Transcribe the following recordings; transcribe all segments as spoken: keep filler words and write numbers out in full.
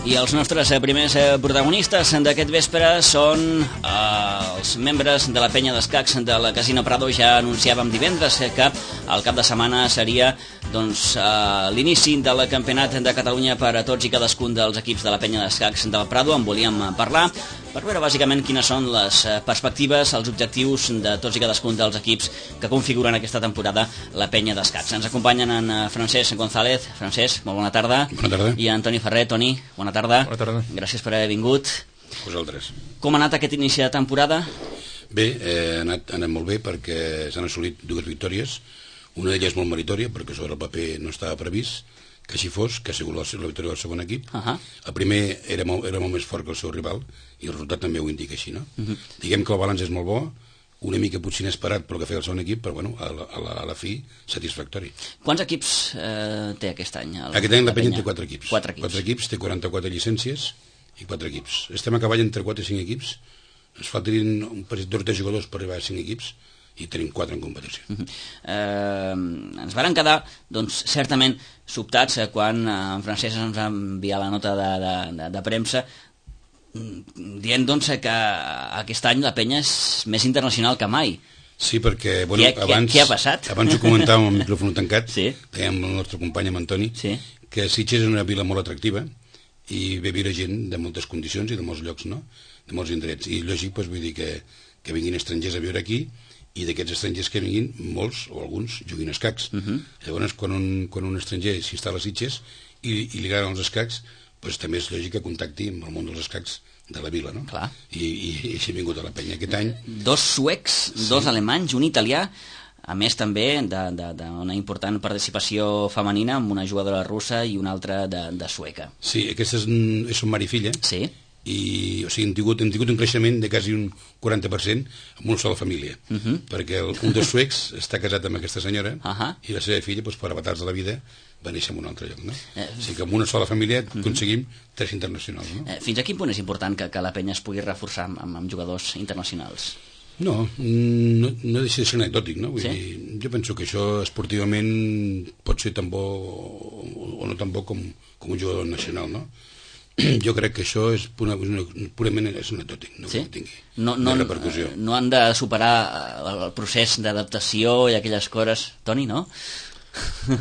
I els nostres primers protagonistes d'aquest vespre són eh, els membres de la penya d'escacs del Casino Prado. Ja anunciàvem divendres que el cap de setmana seria doncs, eh, l'inici del campionat de Catalunya per a tots i cadascun dels equips de la penya d'escacs del Prado. En volíem parlar per veure bàsicament quines són les perspectives, els objectius de tots i cadascun dels equips que configuren aquesta temporada la penya d'escacs. Ens acompanyen en Francesc González. Francesc, molt bona tarda. Bona tarda. I Antoni Ferrer. Toni, bona tarda. Bona tarda. Gràcies per haver vingut. Vosaltres. Com ha anat aquest inici de temporada? Bé, eh, ha, anat, ha anat molt bé perquè s'han assolit dues victòries. Una d'elles molt meritòria, perquè sobre el paper no estava previst que així fos, que ha sigut la, la victòria del segon equip. Uh -huh. El primer era molt, era molt més fort que el seu rival i el resultat també ho indica així, no? Uh -huh. Diguem que el balanç és molt bo, una mica potser inesperat pel que feia el segon equip, però bueno, a la, a la, a la fi satisfactori. Quants equips eh, té aquest any? El, aquest any la, la penya té quatre equips. Quatre equips. Quatre equips, té quaranta-quatre llicències i quatre equips. Estem a cavall entre quatre i cinc equips. Ens faltarien un parell de jugadors per arribar a cinc equips i tenim quatre en competició. Uh -huh. eh, ens varen quedar, doncs, certament sobtats eh, quan eh, en Francesc ens va enviar la nota de, de, de, de premsa dient doncs, que aquest any la penya és més internacional que mai. Sí, perquè bueno, què, abans, què ha passat? Abans ho comentàvem amb el micròfon tancat, sí. dèiem el nostre company amb Antoni, sí. que Sitges és una vila molt atractiva i ve viure gent de moltes condicions i de molts llocs, no? De molts indrets. I lògic, doncs, vull dir que, que vinguin estrangers a viure aquí i d'aquests estrangers que vinguin, molts o alguns juguin escacs. Uh -huh. Llavors, quan un, quan un estranger s'instal·la a Sitges i, i li agraden els escacs, doncs també és lògic que contacti amb el món dels escacs de la vila, no? Clar. I, i, i així ha vingut a la penya aquest any. Dos suecs, sí. Dos alemanys, un italià, a més també d'una important participació femenina amb una jugadora russa i una altra de, de sueca. Sí, aquesta és, és son mare i filla. Sí. I o sigui, hem, tingut, hem tingut un creixement de quasi un quaranta per cent amb una sola família, uh -huh. perquè el, un dels suecs està casat amb aquesta senyora uh -huh. i la seva filla, doncs, per avatars de la vida, va néixer en un altre lloc, no? Eh, o sigui que amb una sola família uh -huh. aconseguim tres internacionals, no? Eh, fins a quin punt és important que, que la penya es pugui reforçar amb, amb jugadors internacionals? No, no, no deixa de ser anecdòtic, no? Vull sí? dir, jo penso que això esportivament pot ser tan bo o, o no tan bo com, com un jugador nacional, no? Jo crec que això és pura, purament és anecdòtic, no sí? que tingui no, no, repercussió. No han de superar el procés d'adaptació i aquelles coses, Toni, no?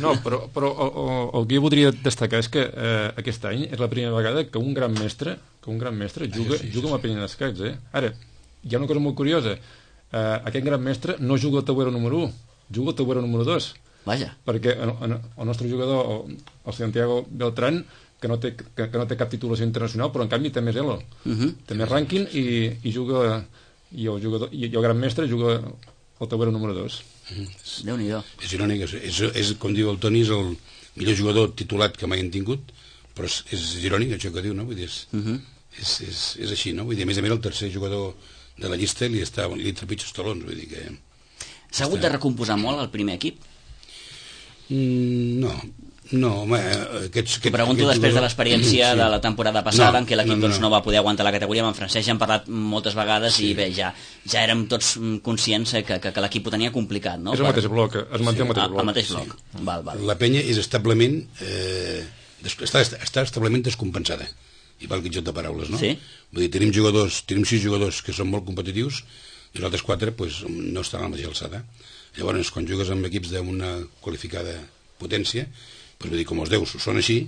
No, però, però el, el que jo voldria destacar és que eh, aquest any és la primera vegada que un gran mestre que un gran mestre juga, sí, sí, juga amb la penya d'escacs, eh? Ara, hi ha una cosa molt curiosa, eh, aquest gran mestre no juga al tabuero número un, juga al tabuero número dos. Vaja. Perquè en, en, el nostre jugador, el, el Santiago Beltrán, que no, té, que, que no té cap titulació internacional, però en canvi té més elo, uh -huh. té més rànquing i, i juga i el, jugador, i el gran mestre juga al tabuero número dos. Uh-huh. Déu-n'hi-do. És irònic, és, és, és, com diu el Toni, és el millor jugador titulat que mai han tingut, però és, és irònic això que diu, no? Vull dir, és, uh -huh. és, és, és així, no? Vull dir, a més a més el tercer jugador de la llista li està li trepitja els talons, vull dir que... S'ha hagut de recomposar molt el primer equip? Mm, no, no, home, aquests... T'ho pregunto aquest després jugador... de l'experiència sí. de la temporada passada, no, en què l'equip no, no, doncs, no va poder aguantar la categoria. Amb en Francesc ja hem parlat moltes vegades sí. i bé, ja, ja érem tots conscients que, que, que l'equip ho tenia complicat, no? És el per... mateix bloc, es manté sí. el mateix bloc. El mateix bloc, sí. val, val. La penya és establement... Eh, està, està establement descompensada. I val que joc de paraules, no? Sí. Vull dir, tenim jugadors, tenim sis jugadors que són molt competitius i els altres quatre pues, no estan a la mateixa alçada. Llavors, quan jugues amb equips d'una qualificada potència, pues, vull dir, com els deus són així,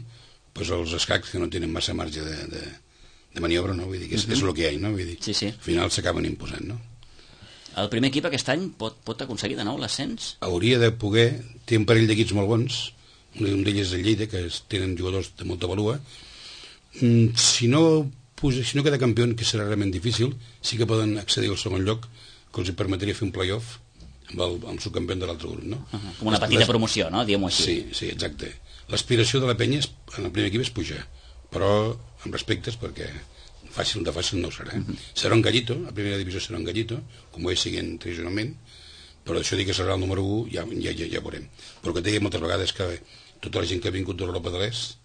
pues, els escacs que no tenen massa marge de, de, de maniobra, no? Vull dir, que és, uh -huh. és el que hi ha, no? Vull dir, sí, sí. al final s'acaben imposant, no? El primer equip aquest any pot, pot aconseguir de nou l'ascens? Hauria de poder, té un parell d'equips molt bons, un d'ells és el Lleida, que tenen jugadors de molta valua. Mm, si no si no queda campió, que serà realment difícil, sí que poden accedir al segon lloc, que els permetria fer un play-off amb el, amb el subcampió de l'altre grup, no? Uh -huh. Com una petita les... promoció, no? Diguem-ho així. Sí, sí, exacte. L'aspiració de la penya és, en el primer equip és pujar, però amb respectes, perquè fàcil de fàcil no ho serà. Uh -huh. Serà un gallito, a primera divisió serà un gallito, com ho és siguent tradicionalment, però això dir que serà el número un ja, ja, ja, ja veurem. Però que digui moltes vegades que tota la gent que ha vingut d'Europa de l'Est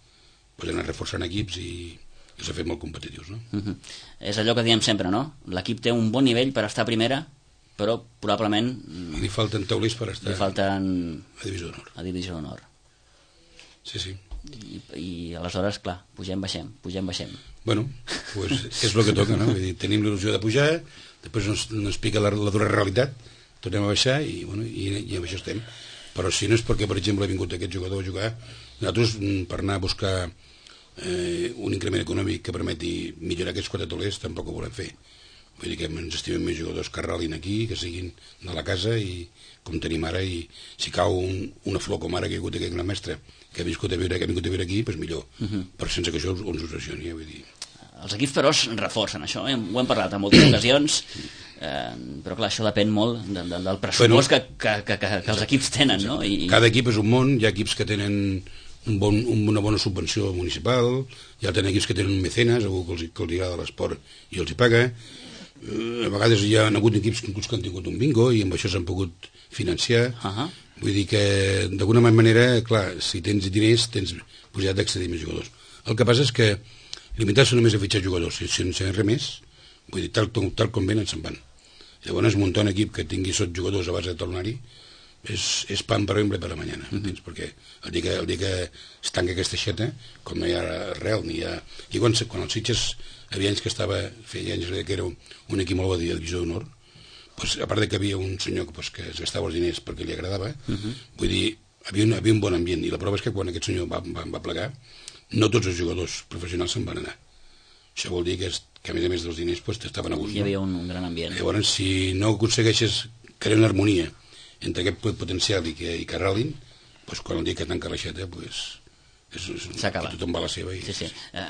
pues, ha anat reforçant equips i i s'ha fet molt competitius, no? Uh -huh. És allò que diem sempre, no? L'equip té un bon nivell per estar a primera, però probablement... Li falten taulers per estar li falten... a divisió d'honor. A divisió d'honor. Sí, sí. I, i aleshores, clar, pugem, baixem, pugem, baixem. Bueno, pues és el que toca, no? Vull dir, tenim l'il·lusió de pujar, després ens, ens pica la, la dura realitat, tornem a baixar i, bueno, i, i amb això estem. Però si no és perquè, per exemple, ha vingut aquest jugador a jugar, nosaltres, per anar a buscar eh, un increment econòmic que permeti millorar aquests quatre tolers, tampoc ho volem fer. Vull dir que ens estimem més jugadors que arrelin aquí, que siguin de la casa, i com tenim ara, i si cau un, una flor com ara que hi ha hagut aquest gran mestre, que ha vingut a viure, que ha vingut a viure aquí, doncs millor. Uh -huh. Però sense que això ens obsessioni, eh? Vull dir... Els equips, però, es reforcen això, eh? Ho hem parlat en moltes ocasions, eh, però clar, això depèn molt de, de, del pressupost bueno, que, que, que, que els equips tenen, no? I... Cada equip és un món, hi ha equips que tenen un bon, una bona subvenció municipal, hi ha equips que tenen un mecenes, algú que els, que els agrada l'esport i els hi paga. A vegades hi ha hagut equips que inclús que han tingut un bingo i amb això s'han pogut financiar. Uh -huh. Vull dir que d'alguna manera, clar, si tens diners tens possibilitat d'accedir més jugadors. El que passa és que limitar-se només a fitxar jugadors sense res més, vull dir, tal, tal com venen se'n van. Llavors muntar un equip que tingui sot jugadors a base de talonari és, és pan per avui per a mañana, uh -huh. perquè el dia que, el dia que es tanca aquesta xeta, com no hi ha arrel ni hi ha... I quan, quan els Sitges havia anys que estava, feia anys que era un, un equip molt bo de divisió d'honor, pues, a part de que havia un senyor pues, que es gastava els diners perquè li agradava, uh -huh. vull dir, havia un, havia un bon ambient, i la prova és que quan aquest senyor va, va, va plegar, no tots els jugadors professionals se'n van anar. Això vol dir que, es, que a més a més dels diners pues, estaven a gust. Hi havia un, un gran ambient. Llavors, si no aconsegueixes crear una harmonia entre aquest potencial i que, i que arrelin, pues, quan el dia que tanca l'aixeta, pues, s'acaba. Tothom va a la seva. I... Sí, sí.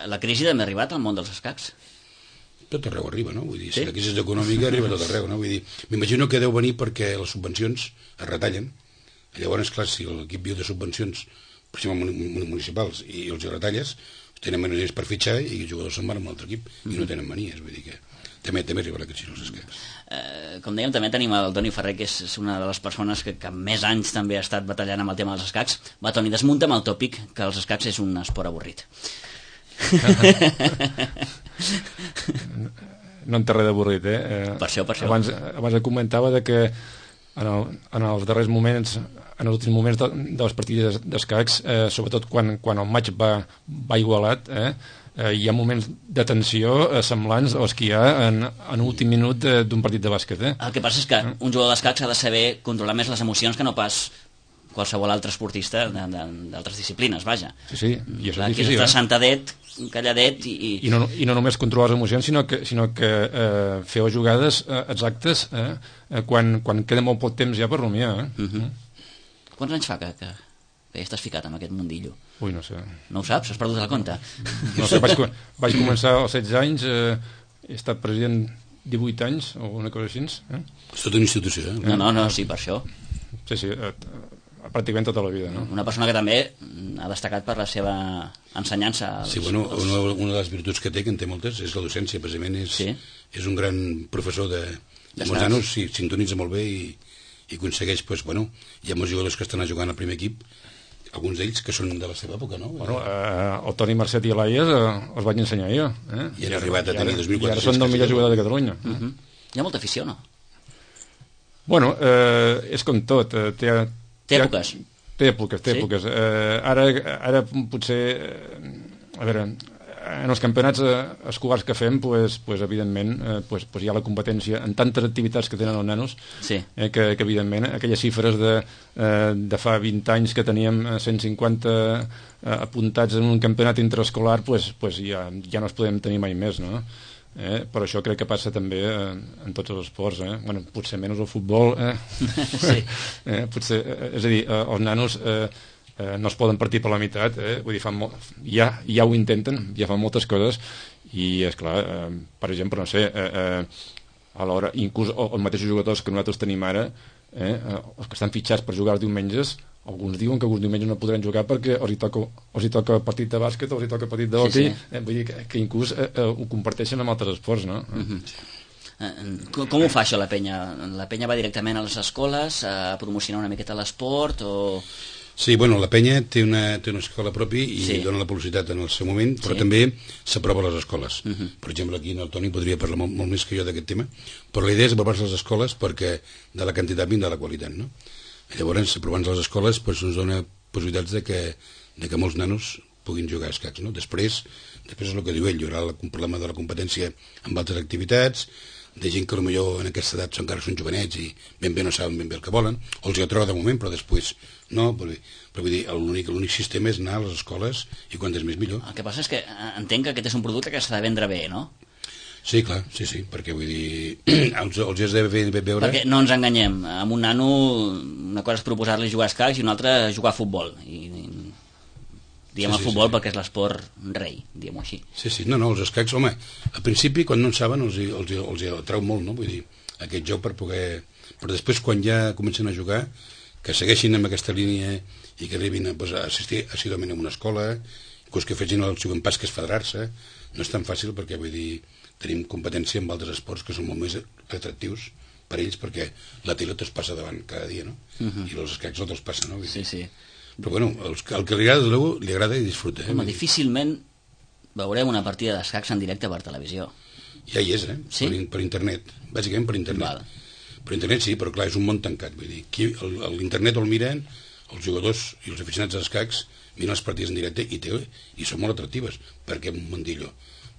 La crisi també ha arribat al món dels escacs? Tot arreu arriba, no? Vull dir, sí? Si la crisi econòmica arriba tot arreu, no? Vull dir, m'imagino que deu venir perquè les subvencions es retallen. Llavors, clar, si l'equip viu de subvencions, per exemple, municipals, i els retalles, tenen menys diners per fitxar i els jugadors se'n van amb l'altre equip i no tenen manies, vull dir que també, també arriba la crisi als escacs. Eh, com dèiem, també tenim el Toni Ferrer, que és una de les persones que, que més anys també ha estat batallant amb el tema dels escacs. Va, Toni, desmunta amb el tòpic que els escacs és un esport avorrit. No en té res d'avorrit, eh? eh? Per això, per això. Abans, abans comentava de que en, el, en els darrers moments, en els últims moments de, de les partides d'escacs, eh, sobretot quan, quan el maig va, va igualat, eh, eh, hi ha moments de tensió eh, semblants als que hi ha en, en l'últim minut d'un partit de bàsquet. Eh? El que passa és que un jugador d'escacs ha de saber controlar més les emocions que no pas qualsevol altre esportista d'altres disciplines, vaja. Sí, sí, i això és difícil. Aquí està sentadet, calladet i... I, no, i no només controlar les emocions, sinó que, sinó que eh, fer les jugades eh, exactes eh, quan, quan queda molt poc temps ja per rumiar. Eh? Uh -huh. Quants anys fa que, que, que ja estàs ficat en aquest mundillo? Ui, no sé. No ho saps? Has perdut el compte? No sé, vaig, vaig començar als setze anys, eh, he estat president divuit anys, o una cosa així. Eh? És tota una institució, eh? No, no, no, sí, per això. Sí, sí, eh, pràcticament tota la vida, no? Una persona que també ha destacat per la seva ensenyança. Als, sí, bueno, als... una, una de les virtuts que té, que en té moltes, és la docència, precisament és, sí? És un gran professor de, de molts nanos, sí, sintonitza molt bé i, i aconsegueix, pues, bueno, hi ha molts jugadors que estan jugant al primer equip, alguns d'ells que són de la seva època, no? Bueno, eh, el Toni Marcet i l'Aies eh, els vaig ensenyar jo. Eh? I han arribat a tenir dos mil quatre-cents. I ara són el millor jugador de Catalunya. Uh -huh. Hi ha molta afició, no? Bueno, eh, és com tot. Eh, té, té èpoques. Té èpoques, té sí? èpoques. Eh, ara, ara potser, eh, a veure, en els campionats eh, escolars que fem, pues, pues, evidentment, eh, pues, pues hi ha la competència en tantes activitats que tenen els nanos, sí. eh, que, que evidentment aquelles xifres de, eh, de fa vint anys que teníem cent cinquanta eh, apuntats en un campionat interescolar, pues, pues ja, ja no es podem tenir mai més, no? Eh, però això crec que passa també eh, en tots els esports, eh? Bueno, potser menys el futbol, eh? Sí. eh, potser, eh, és a dir, eh, els nanos eh, eh, no es poden partir per la meitat, eh? Vull dir, fan molt, ja, ja ho intenten, ja fan moltes coses i, esclar, eh, per exemple, no sé, eh, eh, a l'hora, inclús els mateixos jugadors que nosaltres tenim ara, eh, els que estan fitxats per jugar els diumenges, alguns diuen que alguns diumenges no podran jugar perquè els hi toca, els hi toca partit de bàsquet o els hi toca partit de hoquei, sí, sí. eh, vull dir que, que inclús eh, eh, ho comparteixen amb altres esports, no? Uh-huh. eh, com, com ho fa això la penya? La penya va directament a les escoles a promocionar una miqueta l'esport o... Sí, bueno, la penya té una, té una escola pròpia i sí. dona la publicitat en el seu moment, però sí. també s'aprova a les escoles. Uh-huh. Per exemple, aquí el Toni podria parlar molt, molt més que jo d'aquest tema, però la idea és aprovar-se a les escoles perquè de la quantitat vindrà la qualitat, no? Llavors, aprovant les escoles, doncs, ens dona possibilitats de que, de que molts nanos puguin jugar a escacs, no? Després, després és el que diu ell, hi haurà un problema de la competència amb altres activitats, de gent que potser en aquesta edat encara són jovenets i ben bé no saben ben bé el que volen, o els hi atrau de moment, però després no, però, però vull dir, l'únic l'únic sistema és anar a les escoles i quantes més millor. El que passa és que entenc que aquest és un producte que s'ha de vendre bé, no? Sí, clar, sí, sí, perquè vull dir, els, els has de bé, bé veure... Perquè no ens enganyem, amb un nano una cosa és proposar-li jugar a escacs i una altra jugar a futbol, i, i diem sí, el futbol sí, sí. perquè és l'esport rei, diguem-ho així. Sí, sí, no, no, els escacs, home, al principi quan no en saben els, els, els atrau molt, no? Vull dir, aquest joc per poder... Però després quan ja comencen a jugar, que segueixin amb aquesta línia i que arribin a, pues, a assistir assiduament a una escola, inclús que facin el següent pas que és federar-se, no és tan fàcil perquè, vull dir, tenim competència amb altres esports que són molt més atractius per ells perquè la pilota es passa davant cada dia, no? Uh -huh. I els escacs no te'ls passa, no? Vull dir. Sí, sí. Però bueno, el, el que li agrada, li agrada i disfruta. Eh? Home, difícilment veurem una partida d'escacs en directe per televisió. Ja hi és, eh? Sí? Per, per internet, bàsicament per internet. Val. Per internet sí, però clar, és un món tancat. Vull dir, l'internet el miren els jugadors i els aficionats d'escacs miren les partides en directe i, té, i són molt atractives, perquè és un mundillo.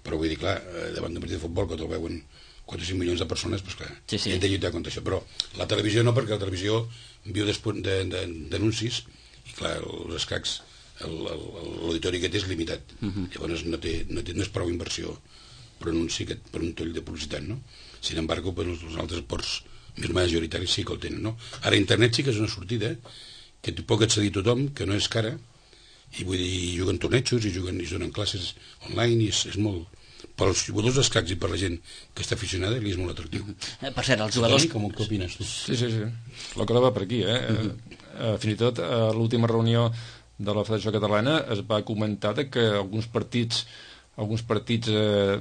Però vull dir, clar, davant d'un partit de futbol que te'l veuen quatre o cinc milions de persones, doncs clar, sí, sí. hem de lluitar contra això. Però la televisió no, perquè la televisió viu d'anuncis i clar, els escacs l'auditori que té és limitat. Uh -huh. Llavors no, té, no, té, no és prou inversió per un, anunci, per un toll de publicitat, no? Sin embargo, per els altres esports més majoritaris sí que el tenen, no? Ara internet sí que és una sortida que pot accedir tothom, que no és cara, i vull dir, juguen tornejos i juguen i donen classes online i és, és molt... Per als jugadors d'escacs i per la gent que està aficionada li és molt atractiu. Eh, per cert, els jugadors... Com què opines tu? Sí, sí, sí. La cosa va per aquí, eh? Uh -huh. eh fins i tot a l'última reunió de la Federació Catalana es va comentar que alguns partits alguns partits eh,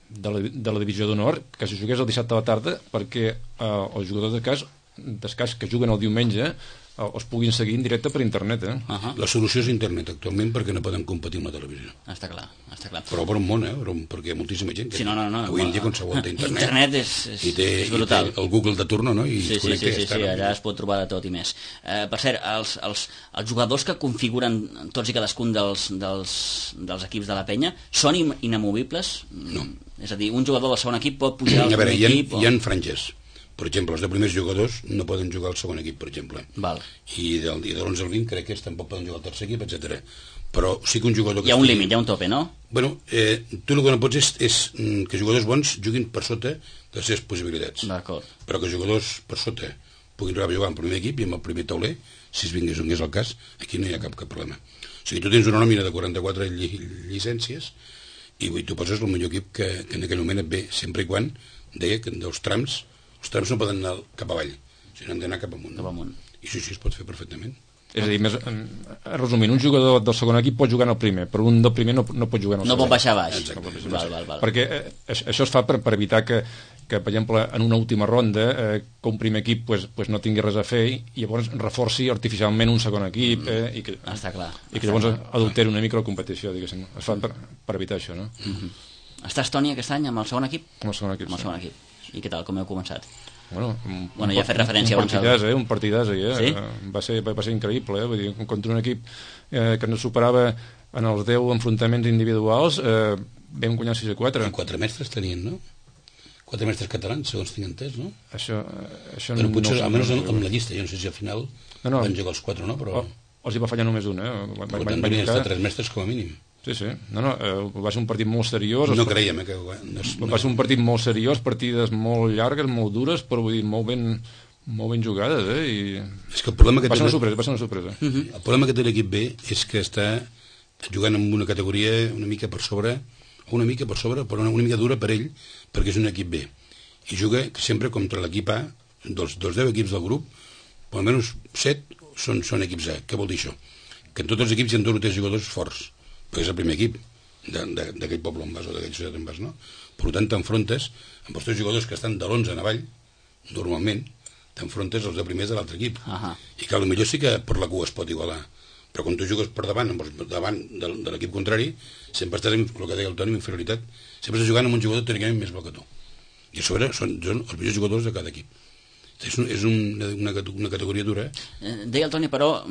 de, la, de la divisió d'honor que se jugués el dissabte a la tarda perquè eh, els jugadors d'escacs d'escacs que juguen el diumenge els puguin seguir en directe per internet, eh? Uh -huh. La solució és internet actualment perquè no poden competir amb la televisió. Està clar, està clar. Però per un món, eh? Perquè hi ha moltíssima gent que sí, no, no, no, avui en dia qualsevol té internet. Internet és, és, I té, és brutal. I té el Google de turno, no? I sí, sí, sí, sí, sí, allà es pot trobar de tot i més. Eh, per cert, els, els, els jugadors que configuren tots i cadascun dels, dels, dels equips de la penya són inamovibles? No. És a dir, un jugador del segon equip pot pujar al segon equip? Hi ha, o... hi ha franges. Per exemple, els de primers jugadors no poden jugar al segon equip, per exemple. Val. I del, de l'onze al vint crec que tampoc poden jugar al tercer equip, etcètera. Però sí que un jugador... Que hi ha un estigui... límit, hi ha un tope, no? Bueno, eh, tu el que no pots és, és que jugadors bons juguin per sota de les seves possibilitats. D'acord. Però que jugadors per sota puguin jugar en primer equip i amb el primer tauler, si es vingués on és el cas, aquí no hi ha cap, cap problema. O sigui, tu tens una nòmina de quaranta-quatre lli llicències i tu poses el millor equip que, que en aquell moment et ve, sempre i quan deia que dels trams els trams no poden anar cap avall, sinó han d'anar cap amunt. Cap amunt. I això sí es pot fer perfectament. És a dir, més, resumint, un jugador del segon equip pot jugar en el primer, però un del primer no, no pot jugar en el no segon. No pot baixar baix. Exacte. No val, val, val. Perquè eh, això es fa per, per evitar que, que, per exemple, en una última ronda, eh, que un primer equip pues, pues no tingui res a fer i llavors reforci artificialment un segon equip eh, i que, està clar. I que llavors adulteri una mica la competició, diguéssim. Es fa per, per evitar això, no? Mm-hmm. Està Estònia aquest any amb el segon equip? Amb el segon equip, amb el segon sí. equip. I què tal, com heu començat? Bueno, un, bueno ja ha fet referència un partidàs, eh? Un partidàs, eh? Sí? Va ser, va ser increïble, eh? Vull dir, contra un equip eh, que ens superava en els deu enfrontaments individuals, eh, vam guanyar sis a quatre. I quatre mestres tenien, no? Quatre mestres catalans, segons tinc entès, no? Això, això però no... potser, no, almenys no, amb la llista, jo no sé si al final no, no. van jugar els quatre o no, però... Oh, els hi va fallar només un, eh? Per tant, venien estar tres mestres com a mínim. Sí, sí. No, no, eh, va ser un partit molt seriós. No creiem, eh, que... No, no. Va ser un partit molt seriós, partides molt llargues, molt dures, però vull dir, molt ben, molt ben jugades, eh? I... És que el problema que va, té... ser una sorpresa, va ser una sorpresa. Uh -huh. El problema que té l'equip B és que està jugant en una categoria una mica per sobre, una mica per sobre, però una, una mica dura per ell, perquè és un equip B. I juga sempre contra l'equip A, dels, dels deu equips del grup, per almenys set són, són equips A. Què vol dir això? Que en tots els equips hi ha dos o tres jugadors forts, perquè és el primer equip d'aquell poble on vas o d'aquell ciutat on vas, no? Per tant, t'enfrontes amb els tres jugadors que estan de l'onze en avall, normalment, t'enfrontes els de primers de l'altre equip. Uh -huh. I que potser sí que per la cua es pot igualar, però quan tu jugues per davant, amb els, davant de, de l'equip contrari, sempre estàs, amb el que deia el Toni, amb inferioritat, sempre estàs jugant amb un jugador teòricament més bo que tu. I a sobre són, són els millors jugadors de cada equip. És, un, és un, una, una categoria dura. Eh, deia el Toni, però,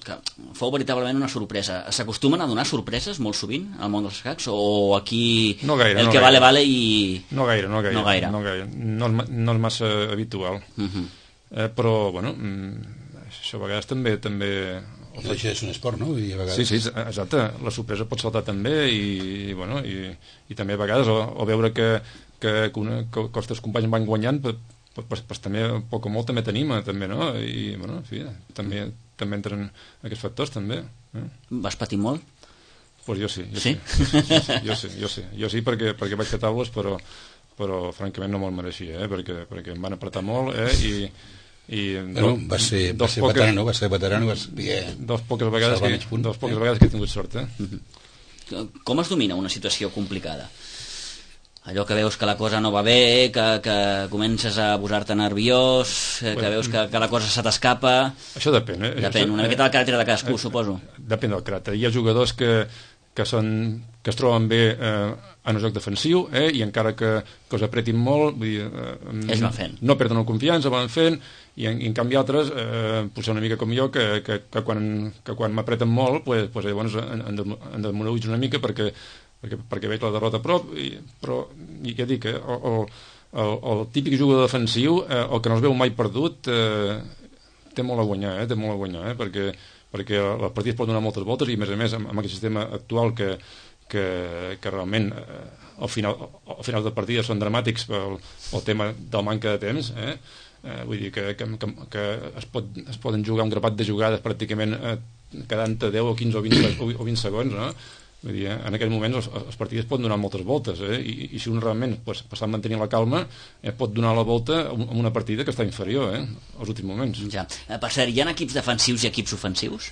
que fou veritablement una sorpresa. S'acostumen a donar sorpreses molt sovint al món dels escacs? O aquí no gaire, el no que gaire. vale, vale i... No gaire, no gaire. No, gaire. No, gaire. no, és, no és massa habitual. Uh -huh. eh, però, bueno, això a vegades també... també no deixa de ser un esport, no? Vull dir, a vegades... Sí, sí, exacte. La sorpresa pot saltar també i, bueno, i, i també a vegades o, o veure que, que, que, una, que, que els teus companys van guanyant, pues, pues, pues, també, poc o molt, també t'anima, també, no? I, bueno, en fi, també, també entren aquests factors, també. Eh? Vas patir molt? Pues jo sí, jo sí. sí. Jo sí, jo sí, jo sí perquè, perquè vaig fer taules, però, però francament no me'l mereixia, eh? perquè, perquè em van apretar molt, eh? I, i bueno, do, va ser, va ser poques, veterano, va ser veterano, va ser... Dos poques vegades, que, punt, dos poques eh? vegades que he tingut sort, eh? Uh-huh. Com es domina una situació complicada? Allò que veus que la cosa no va bé, que, que comences a posar-te nerviós, que bueno, veus que, que la cosa se t'escapa... Això depèn, eh? Depèn, una miqueta del caràcter de cadascú, eh, suposo. Depèn del caràcter. Hi ha jugadors que, que, són, que es troben bé eh, en el joc defensiu, eh, i encara que, que us apretin molt, vull dir, eh, es van fent. No perden la confiança, van fent, i en, i en canvi altres, eh, potser una mica com jo, que, que, que quan, que quan m'apreten molt, pues, pues, llavors em desmoralitzo una mica perquè perquè, perquè veig la derrota a prop, i, però ja dic, eh, el, el, el típic jugador defensiu, eh, el que no es veu mai perdut, eh, té molt a guanyar, eh, té molt a guanyar, eh, perquè, perquè el partit pot donar moltes voltes i, a més a més, amb, amb aquest sistema actual que, que, que realment eh, al, final, al final del partit són dramàtics pel el tema del manca de temps, eh, eh, vull dir que, que, que, que es, pot, es poden jugar un grapat de jugades pràcticament eh, quedant deu o quinze o vint, o vint segons, no? Vull dir, en aquell moment els, els partits poden donar moltes voltes, eh? I, i si un realment pues, passant mantenint la calma eh, pot donar la volta en una partida que està inferior, eh? Als últims moments. Ja. Per cert, hi ha equips defensius i equips ofensius?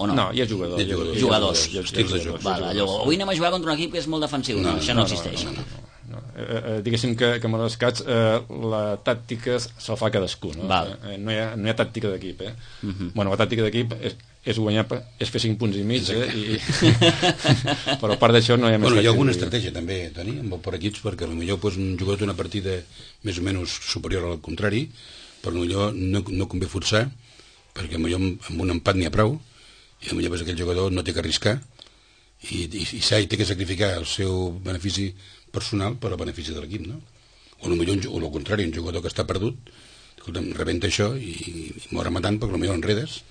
O no? No, hi ha jugadors. Hi ha jugadors. Jugadors. Hi ha jugadors. Hi ha jugadors. Val, allò, avui anem a jugar contra un equip que és molt defensiu. No, no, això no, no existeix. No, no, no. No, eh, eh, diguéssim que, que amb els escacs eh, la tàctica se'l fa cadascú, no? Eh, no, hi ha, no hi ha tàctica d'equip, eh? Uh -huh. Bueno, la tàctica d'equip és, és guanyar, és fer cinc punts i mig, eh? I... però a part d'això no hi ha més... Bueno, hi ha alguna estratègia també, Toni, amb el per equips, perquè potser pues, un jugador té una partida més o menys superior al contrari, però potser no, no convé forçar, perquè potser amb un empat n'hi ha prou, i potser pues, aquell jugador no té que arriscar, i, i, i s'ha té que sacrificar el seu benefici personal per al benefici de l'equip, no? O potser, o al contrari, un jugador que està perdut, escolta'm, rebenta això i, i mor matant perquè potser enredes,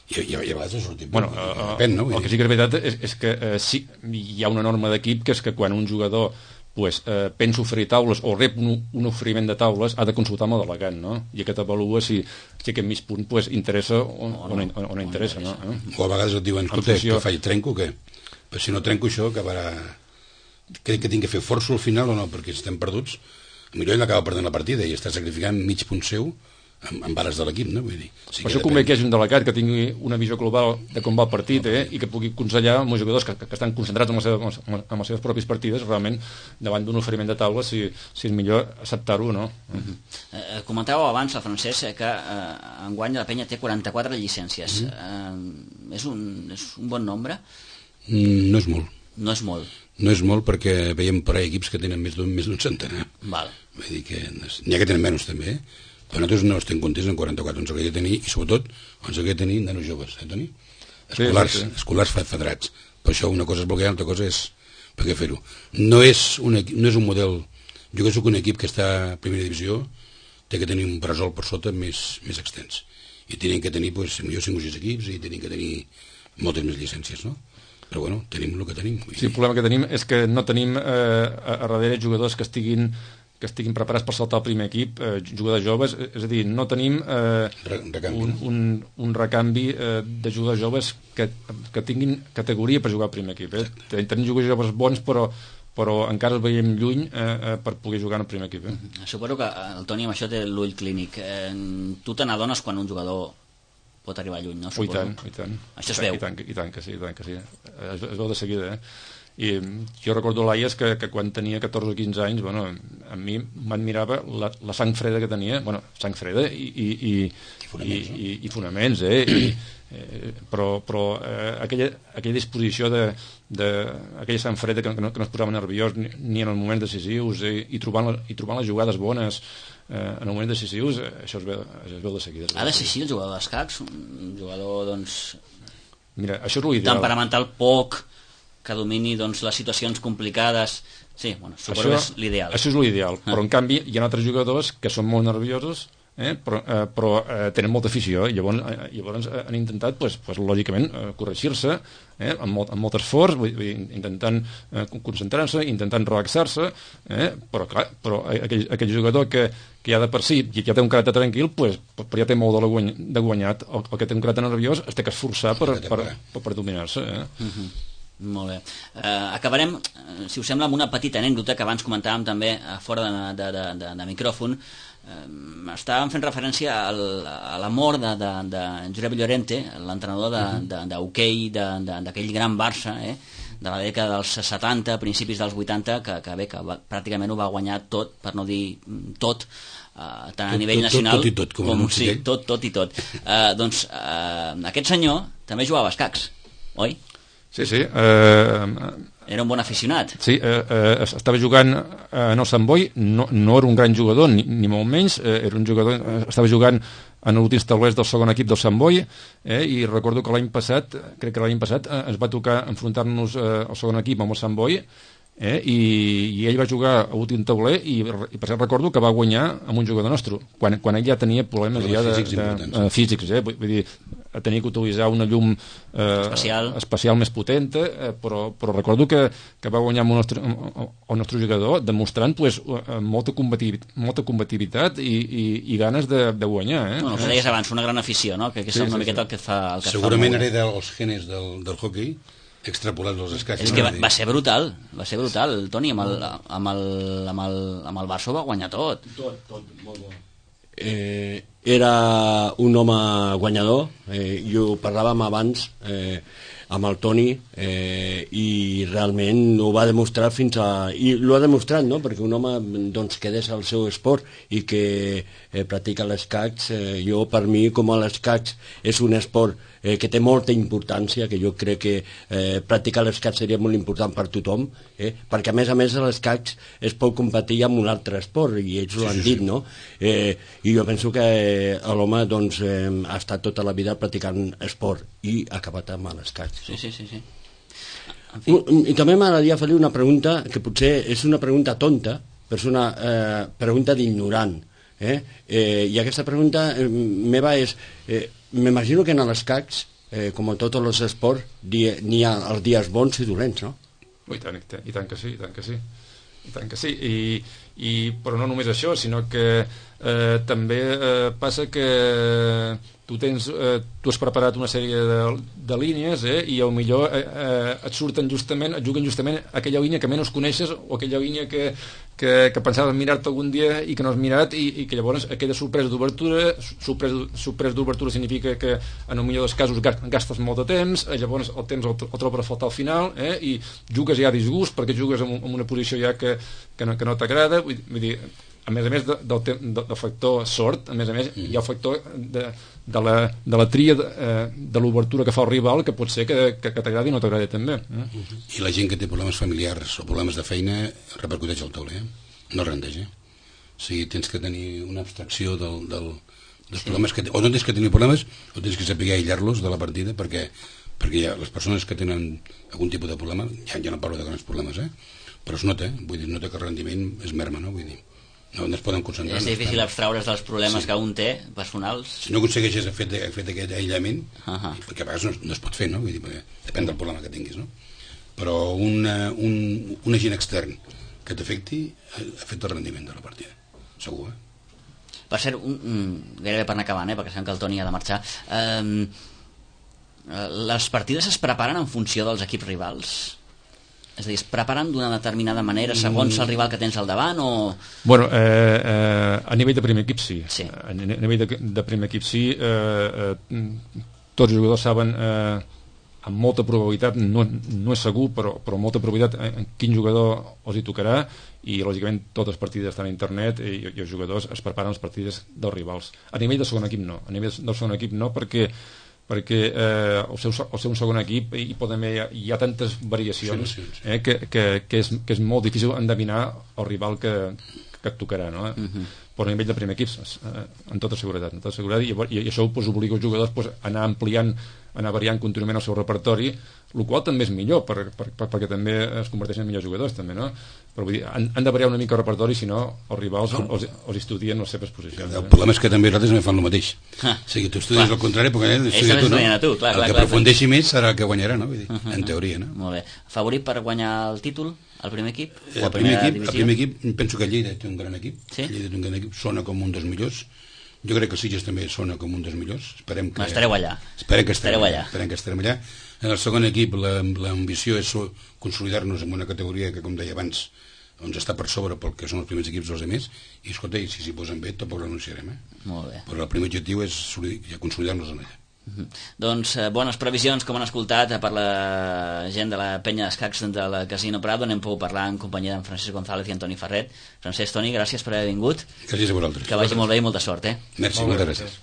i, i, i a vegades ha sortit bueno, uh, depèn, no? El que sí que és veritat és, és que uh, sí, hi ha una norma d'equip que és que quan un jugador pues, uh, pensa oferir taules o rep un, un oferiment de taules ha de consultar amb el delegant, no? I aquest avalua si, si aquest mig punt pues, interessa o, o, no, o, no, o no interessa, no? Eh? O a vegades et diuen, escolta, funció... que faig, trenco o què? Però si no trenco això acabarà... que, que tinc que fer força al final o no, perquè si estem perduts millor ell acaba perdent la partida i està sacrificant mig punt seu amb, amb bares de l'equip, no? Vull dir, sí per això convé que hi hagi un delegat que tingui una visió global de com va el partit, eh? I que pugui aconsellar els jugadors que, que estan concentrats en, la seva, en les seves pròpies partides realment davant d'un oferiment de taula si, si és millor acceptar-ho o no. Uh -huh. eh, comentàveu abans, el Francesc, que eh, enguany la penya té quaranta-quatre llicències. Uh -huh. eh, és, un, és un bon nombre? Mm, no és molt. No és molt. No és molt perquè veiem per ahí equips que tenen més d'un més d'un centenar. Val. Vull dir que n'hi ha que tenen menys també, eh? Però nosaltres no estem contents en quaranta-quatre, ens hauria de tenir, i sobretot ens hauria de tenir nanos joves, eh, Toni? Escolars, sí, sí, sí. escolars federats. Per això una cosa és bloquear, una altra cosa és per què fer-ho. No, és un, no és un model... Jo que soc un equip que està a primera divisió, té que tenir un bressol per sota més, més extens. I tenen que tenir, doncs, millor cinc o sis equips i tenen que tenir moltes més llicències, no? Però bueno, tenim el que tenim. Sí, el problema que tenim és que no tenim eh, a, a darrere jugadors que estiguin que estiguin preparats per saltar al primer equip, eh, jugadors joves, és a dir, no tenim eh, recanvi, un, un, un recanvi eh, de jugadors joves que, que tinguin categoria per jugar al primer equip. Eh? Tenim jugadors joves bons, però però encara els veiem lluny eh, eh, per poder jugar en el primer equip. Eh? Suposo que el Toni amb això té l'ull clínic. Eh, tu te n'adones quan un jugador pot arribar lluny, no? Oh, i tant, i tant. Això es veu. I tant, i tant que sí, i tant que sí. Es, es veu de seguida, eh? i jo recordo l'Aies que, que quan tenia catorze o quinze anys, bueno, a mi m'admirava la, la sang freda que tenia, bueno, sang freda i, i, i, I fonaments, i, i, i fonaments eh? I, eh, però, però eh, aquella, aquella disposició de, de aquella sang freda que, que, no, que no es posava nerviós ni, ni en els moments decisius eh? I, trobant, i trobant les jugades bones eh, en els moments decisius, eh, això es veu, es veu de seguida. Ha de ser així el jugador d'escacs, un jugador doncs mira, això és l'ideal, temperamental poc, que domini doncs, les situacions complicades. Sí, bueno, suposo que és l'ideal. Això és l'ideal, ah. Però en canvi hi ha altres jugadors que són molt nerviosos, eh, però, eh, però eh, tenen molta afició, i llavors, eh, llavors han intentat, pues, pues, lògicament, eh, corregir-se eh, amb, molt, amb molt esforç, vull dir, intentant eh, concentrar-se, intentant relaxar-se, eh, però clar, però aquell, aquell jugador que, que ja de per si ja té un caràcter tranquil, pues, però ja té molt de, guany, de guanyat, el, el que té un caràcter nerviós es té que esforçar per, per, per, per dominar-se. Eh? Uh-huh. Molt bé. Uh, acabarem, uh, si us sembla, amb una petita anècdota que abans comentàvem també uh, fora de, de, de, de, de micròfon. Uh, estàvem fent referència al, a la mort de, de, de Josep Llorente, l'entrenador d'hoquei de, de, de, d'aquell gran Barça, eh? De la dècada dels setanta, principis dels vuitanta, que, que bé, que va, pràcticament ho va guanyar tot, per no dir tot, uh, tant a tot, nivell tot, nacional tot, tot i tot, com, com sí, tot, tot i tot. Uh, doncs uh, aquest senyor també jugava a escacs, oi? Sí, sí. Eh, era un bon aficionat. Sí, eh, eh, estava jugant en el Sant Boi, no, no era un gran jugador, ni, ni molt menys, eh, era un jugador, eh, estava jugant en l'últim taulers del segon equip del Sant Boi, eh, i recordo que l'any passat, crec que l'any passat, eh, ens va tocar enfrontar-nos eh, al segon equip amb el Sant Boi, eh, i, i ell va jugar a l'últim tauler i, i per cert recordo que va guanyar amb un jugador nostre, quan, quan ell ja tenia problemes ja de, físics, de, de, físics eh, vull dir, tenia que utilitzar una llum eh, especial. especial més potenta, eh, però, però recordo que, que va guanyar amb el nostre, el nostre jugador, demostrant pues, molta, combativitat, molta combativitat i, i, i ganes de, de guanyar. Eh? Bueno, que deies abans, una gran afició, no? Que, que és sí, una sí, miqueta sí. El que fa el que segurament fa hereda els genes del, del hockey extrapolats als escacs. És que va, va ser brutal, va ser brutal, Toni, amb el, amb el, amb el, amb el Barça va guanyar tot. Tot, tot, molt bo. Eh, era un home guanyador, eh, i ho parlàvem abans eh, amb el Toni, eh, i realment ho va demostrar fins a... i l'ho ha demostrat, no?, perquè un home doncs, que des al seu esport i que eh, practica l'escacs, eh, jo per mi com a l'escacs és un esport eh, que té molta importància, que jo crec que eh, practicar l'escacs seria molt important per tothom, eh, perquè a més a més l'escacs es pot competir amb un altre esport, i ells ho han dit, no? Eh, I jo penso que eh, l'home doncs, eh, ha estat tota la vida practicant esport i ha acabat amb l'escacs. Sí, sí, sí, sí. En fi. I també m'agradaria fer-li una pregunta que potser és una pregunta tonta, però és una eh, pregunta d'ignorant. Eh? Eh, I aquesta pregunta eh, meva és... Eh, m'imagino que en l'escacs, eh, com en tots els esports, n'hi ha els dies bons i dolents, no? I tant, i tant que sí, i tant que sí. I tant que sí. I, i, però no només això, sinó que eh, també eh, passa que tu tens, eh, tu has preparat una sèrie de, de línies, eh, i al millor eh, eh, et surten justament, et juguen justament aquella línia que menys coneixes, o aquella línia que, que, que pensaves mirar-te algun dia i que no has mirat, i, i que llavors aquella sorpresa d'obertura, sorpresa, sorpresa d'obertura significa que en el millor dels casos gastes molt de temps, eh, llavors el temps el, el trobes a faltar al final, eh, i jugues ja a disgust perquè jugues en, en una posició ja que, que no, que no t'agrada, vull, vull dir, a més a més de, del, de, del factor sort, a més a més mm. hi ha el factor de, de, la, de la tria de, eh, de l'obertura que fa el rival, que pot ser que, que, que t'agradi i no t'agradi també. Eh? I la gent que té problemes familiars o problemes de feina repercuteix al tauler, eh? No rendeix, eh? O sigui, tens que tenir una abstracció del, del, dels sí. problemes que... O no tens que tenir problemes, o tens que saber aïllar-los de la partida, perquè, perquè hi ha les persones que tenen algun tipus de problema, ja, ja no parlo de grans problemes, eh? Però es nota, vull dir, nota que el rendiment es merma, no? Vull dir, no, no es poden concentrar. És difícil abstraure's dels problemes sí. que un té, personals. Si no aconsegueixes fer, fer aquest aïllament, uh-huh. perquè a vegades no, no es pot fer, no? Vull dir, perquè depèn del problema que tinguis, no? Però una, un, un agent extern que t'afecti afecta el rendiment de la partida, segur, eh? Per cert, un, un, gairebé per anar acabant, eh, perquè sabem que el Toni ha de marxar, eh, les partides es preparen en funció dels equips rivals? És a dir, es preparen d'una determinada manera segons el rival que tens al davant o... Bueno, eh, eh, a nivell de primer equip sí, sí. A nivell de, de primer equip sí, eh, eh, tots els jugadors saben eh, amb molta probabilitat, no, no és segur, però, però amb molta probabilitat en quin jugador els hi tocarà, i lògicament totes les partides estan a internet i, i els jugadors es preparen les partides dels rivals. A nivell de segon equip no, a nivell del segon equip no, perquè perquè eh, el, seu, el seu segon equip hi, pot haver, hi ha tantes variacions eh, que, que, que, és, que és molt difícil endevinar el rival que, que et tocarà, no? Uh-huh. Però a nivell de primer equip eh, amb tota seguretat, amb tota seguretat i, i, i això pues, obliga els jugadors pues, a anar ampliant, a anar variant contínuament el seu repertori, el qual també és millor per, per, per, perquè també es converteixen en millors jugadors també, no? Però vull dir, han, han de variar una mica el repertori, si no els rivals no. els, els estudien les seves posicions. El problema és que també nosaltres també fan el mateix. Ah. O sigui, tu estudies al contrari, perquè eh, estudia tu, no? Tu, clar, el clar, que clar, aprofundeixi més serà el que guanyarà, no? Vull dir, uh-huh. En teoria, no? Molt bé. Favorit per guanyar el títol, el primer equip? Eh, el, primer equip el primer equip, penso que Lleida té un gran equip. Sí? Lleida té un gran equip, sona com un dels millors. Jo crec que el Sitges també sona com un dels millors. Esperem que... Estareu allà. Esperem que estarem allà. Esperem que estarem allà. En el segon equip l'ambició és consolidar-nos en una categoria que, com deia abans, doncs està per sobre pel que són els primers equips dels altres, i escolta, i si s'hi posen bé tampoc renunciarem, eh? Molt bé. Però el primer objectiu és consolidar-nos en allà. Uh-huh. Doncs eh, bones previsions, com han escoltat per la gent de la penya d'escacs de la Casino Prado. N'hem pogut parlar en companyia d'en Francesc González i Antoni Ferret. Francesc, Toni, gràcies per haver vingut. Gràcies a vosaltres. Que vagi molt bé i molta sort, eh? Merci, moltes gràcies.